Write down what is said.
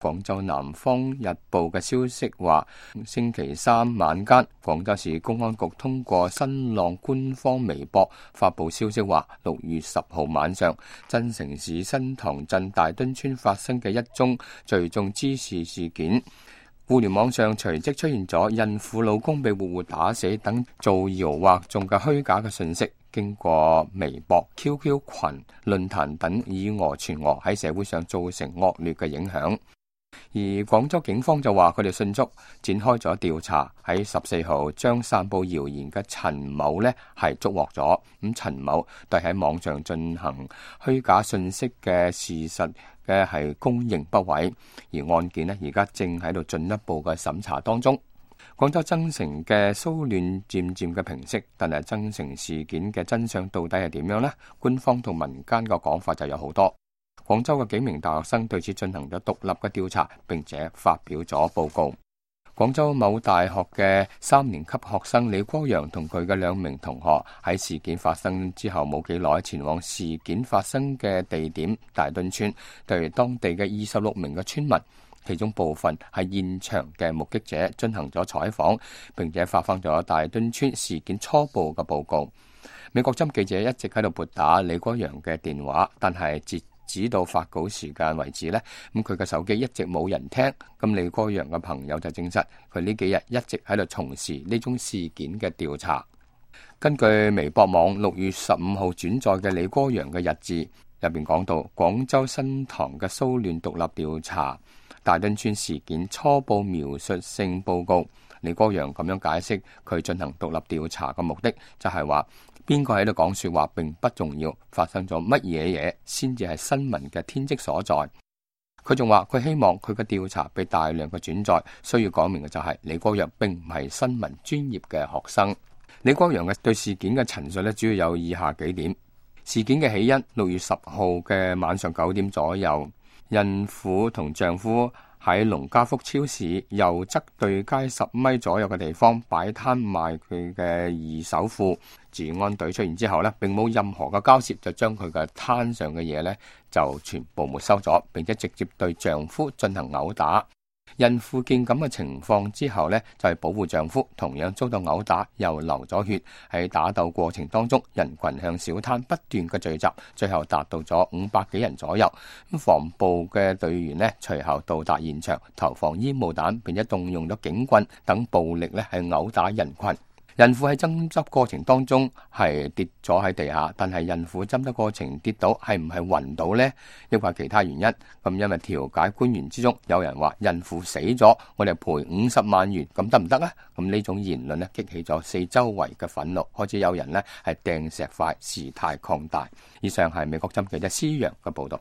廣州南方日報嘅消息話，星期三晚間，廣州市公安局通過新浪官方微博發布消息話，6月10號晚上，增城市新塘鎮大墩村發生嘅一宗聚眾滋事事件。互聯網上隨即出現咗孕婦老公被活活打死等造謠惑眾嘅虛假嘅信息，經過微博、QQ 群、論壇等以訛傳訛，喺社會上造成惡劣嘅影響。而廣州警方就話佢哋迅速展開咗調查，喺14號將散布謠言嘅陳某呢係捉獲咗。咁陳某對喺網上進行虛假信息嘅事實嘅係供認不諱，而案件呢而家正喺度進一步嘅審查當中。廣州增城嘅騷亂漸漸嘅平息，但係增城事件嘅真相到底係點樣呢？官方同民間嘅講法就有好多。廣州嘅幾名大學生對此進行咗獨立嘅調查，並且發表咗報告。廣州某大學嘅3年級學生李國陽同佢嘅2名同學喺事件發生之後冇幾耐，前往事件發生嘅地點大墩村，對當地嘅26名嘅村民，其中部分係現場嘅目擊者進行咗採訪，並且發放咗大墩村事件初步嘅報告。美國針記者一直喺度撥打李國陽嘅電話，但係截止到發稿時間為止呢，咁佢嘅手機一直冇人聽。咁李國陽嘅朋友就證實，佢呢幾日一直喺度從事呢宗事件嘅調查。根據微博網6月15號轉載嘅李國陽嘅日誌入邊講到，廣州新塘嘅騷亂獨立調查大墩村事件初步描述性報告。李國陽咁樣解釋佢進行獨立調查嘅目的，就係話邊個喺度講說話並不重要，發生咗乜嘢嘢先至係新聞嘅天職所在。佢仲話佢希望佢嘅調查被大量嘅轉載，需要講明嘅就係李國陽並唔係新聞專業嘅學生。李國陽嘅對事件嘅陳述呢，主要有以下幾點。事件嘅起因，6月10號嘅晚上9點左右，孕婦同丈夫喺農家福超市右側對街10米左右嘅地方擺攤賣佢嘅二手褲。治安隊出現之後呢，並冇任何嘅交涉，就將佢嘅攤上嘅嘢呢就全部沒收咗，並且直接對丈夫進行毆打。孕婦見咁嘅情況之後呢，就係保護丈夫，同樣遭到毆打，又流咗血。喺打鬥過程當中，人群向小攤不斷嘅聚集，最後達到咗500幾人左右。咁防暴嘅隊員呢，隨後到達現場，投放煙霧彈，並且動用咗警棍等暴力呢，係毆打人群。孕婦喺爭執過程當中係跌咗喺地下，但係孕婦爭執過程跌倒係唔係暈倒呢？抑或其他原因？咁因為調解官員之中有人話孕婦死咗，我哋賠50萬元，咁得唔得呢？咁呢種言論呢，激起咗四周圍嘅憤怒，開始有人呢係掟石塊，事態擴大。以上係美國針記者施洋嘅報道。